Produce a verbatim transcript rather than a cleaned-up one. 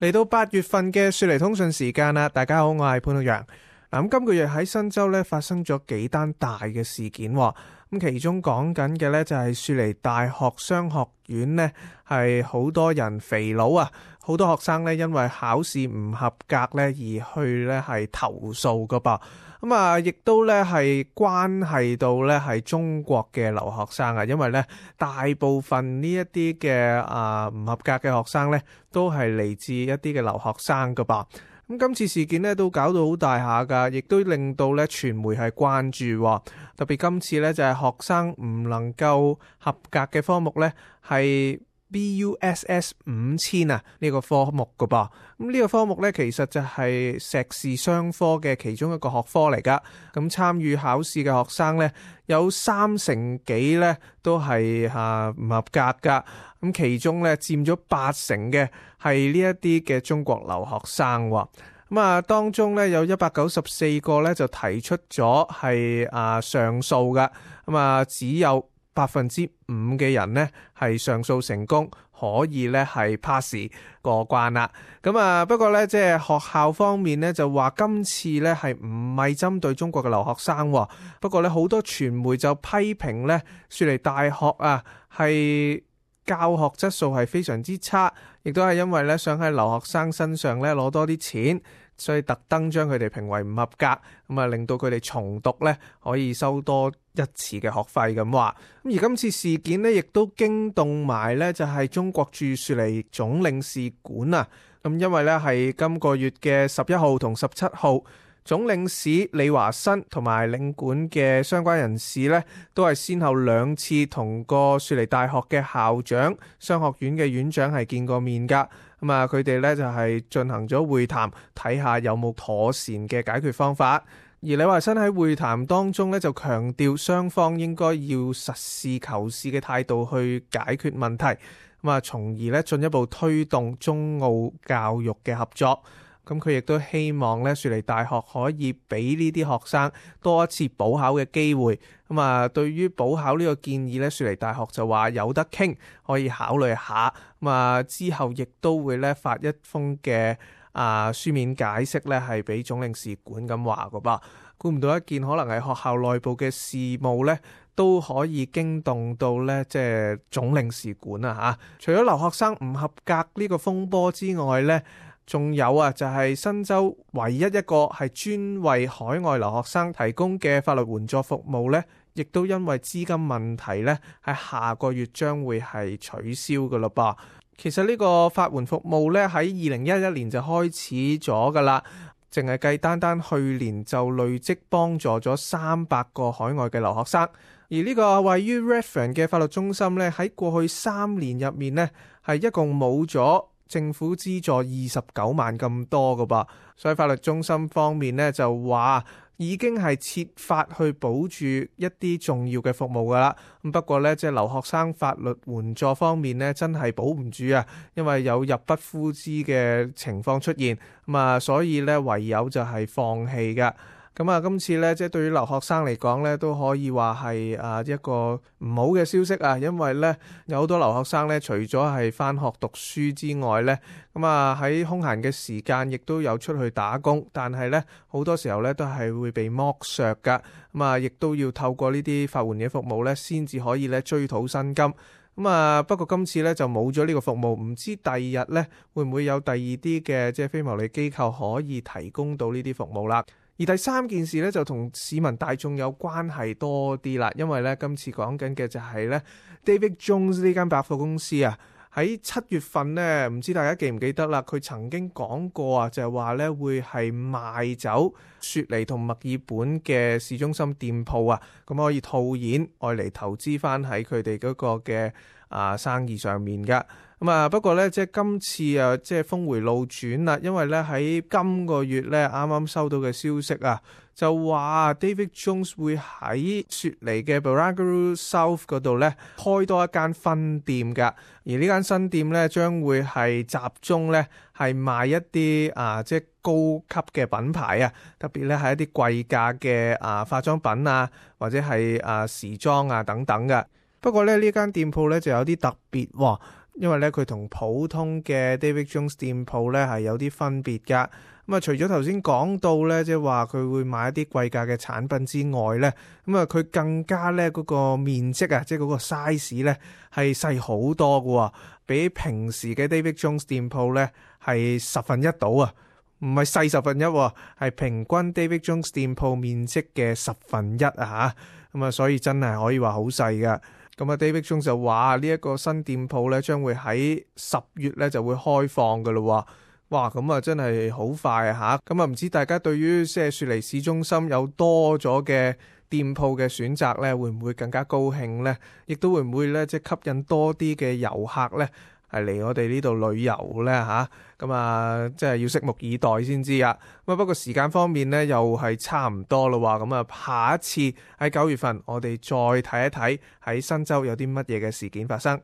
嚟到八月份嘅雪梨通訊時間啦，大家好，我係潘浩陽。嗱，咁今個月喺新州咧發生咗幾單大嘅事件，咁其中講緊嘅咧就係雪梨大學商學院呢係好多人肥佬啊，好多學生咧因為考試唔合格咧而去咧係投訴噶噃。咁啊，亦都咧係關係到咧係中國嘅留學生啊，因為咧大部分呢一啲嘅啊唔合格嘅學生咧，都係嚟自一啲嘅留學生噶噃。咁今次事件咧都搞到好大下噶，亦都令到咧傳媒係關注，特別今次咧就係學生唔能夠合格嘅科目咧係B U S S 五千啊呢個科目噶噃。咁呢個科目咧其實就係碩士雙科嘅其中一個學科嚟噶。咁參與考試嘅學生咧有三成幾咧都係吓唔合格噶。咁其中咧佔咗八成嘅係呢一啲嘅中國留學生。咁啊當中咧有一百九十四個咧就提出咗係啊上訴噶。咁啊只有百分之五嘅人呢係上訴成功，可以咧係 pass 過關啦。咁啊不過咧即係學校方面咧就話今次咧係唔係針對中國嘅留學生，不過咧好多傳媒就批評咧雪梨大學啊係教學質素係非常之差，亦都係因為咧想喺留學生身上咧攞多啲錢，所以特登將佢哋評為唔合格，咁啊令到佢哋重讀咧可以收多一次嘅學費咁話。咁而今次事件呢，亦都驚動埋咧就係中國駐雪梨總領事館啊。咁因為咧係今個月嘅十一號同十七號，總領事李華新同埋領館嘅相關人士咧，都係先後兩次同個雪梨大學嘅校長、商學院嘅院長係見過面噶。咁啊，佢哋咧就係進行咗會談，睇下有冇妥善嘅解決方法。而李華新喺會談當中咧就強調，雙方應該要實事求是嘅態度去解決問題，咁啊，從而咧進一步推動中澳教育嘅合作。咁佢亦都希望咧雪梨大學可以俾呢啲學生多一次補考嘅機會。咁啊，對於補考呢個建議咧，雪梨大學就話有得傾，可以考慮下。咁啊，之後亦都會咧發一封嘅啊書面解釋咧，係俾總領事館咁話噶噃。估唔到一件可能係學校內部嘅事務咧，都可以驚動到咧即係總領事館啊吓。除咗留學生唔合格呢個風波之外咧，仲有啊，就係新州唯一一個係專為海外留學生提供嘅法律援助服務呢，亦都因為資金問題呢，喺下個月將會係取消噶咯噃。其實呢個法援服務呢，喺二零一一年就開始咗噶啦，淨係計單單去年就累積幫助咗三百個海外嘅留學生。而呢個位於 Redfern 嘅法律中心呢，喺過去三年入面呢，係一共冇咗政府資助二十九萬咁多噶噃，所以法律中心方面咧就話已經係設法去保住一啲重要嘅服務噶啦。咁不過咧，即係留學生法律援助方面咧，真係保唔住啊，因為有入不敷支嘅情況出現，咁啊，所以咧唯有就係放棄噶。咁啊，今次咧，即係對於留學生嚟講咧，都可以話係啊一個唔好嘅消息啊，因為咧有好多留學生咧，除咗係返學讀書之外咧，咁啊喺空閒嘅時間亦都有出去打工，但係咧好多時候咧都係會被剝削噶，咁啊亦都要透過呢啲法援嘅服務咧，先至可以咧追討薪金。咁啊，不過今次咧就冇咗呢個服務，唔知第二日咧會唔會有第二啲嘅即係非牟利機構可以提供到呢啲服務啦。而第三件事咧就同市民大眾有關係多啲啦，因為咧今次講緊嘅就係咧 David Jones 呢間百貨公司啊，喺七月份咧，唔知大家記唔記得啦？佢曾經講過啊，就係話咧會係賣走雪梨同墨爾本嘅市中心店鋪啊，咁可以套現愛嚟投資翻喺佢哋嗰個嘅啊生意上面噶。咁啊，不過咧，即係今次啊，即係峰回路轉啦，因為咧喺今個月咧啱啱收到嘅消息啊，就話 David Jones 會喺雪梨嘅 Barangaroo South 嗰度咧開多一間分店噶，而呢間新店咧將會係集中咧係賣一啲啊即係高級嘅品牌啊，特別咧係一啲貴價嘅啊化妝品啊，或者係啊時裝啊等等嘅。不過咧呢間店鋪咧就有啲特別喎，因為咧佢同普通嘅 David Jones 店鋪咧係有啲分別噶。咁啊，除咗頭先講到咧，即係話佢會買一啲貴價嘅產品之外咧，咁啊佢更加咧嗰個面積啊，即係嗰個 size 咧係細好多噶，比平時嘅 David Jones 店鋪咧係十分一到啊，唔係細十分一，係平均 David Jones 店鋪面積嘅十分一啊吓，咁啊所以真係可以話好細噶。咁啊 David Jones 就話呢一個新店鋪咧將會喺十月咧就會開放噶咯。哇，咁啊真係好快啊吓！咁啊唔知大家對於即係雪梨市中心有多咗嘅店鋪嘅選擇咧，會唔會更加高興呢？亦都會唔會咧即係吸引多啲嘅遊客咧係嚟我哋呢度旅遊咧吓？咁啊即係要拭目以待先知啊！咁啊不過時間方面咧又係差唔多咯喎，咁啊下一次喺九月份我哋再睇一睇喺新州有啲乜嘢嘅事件發生。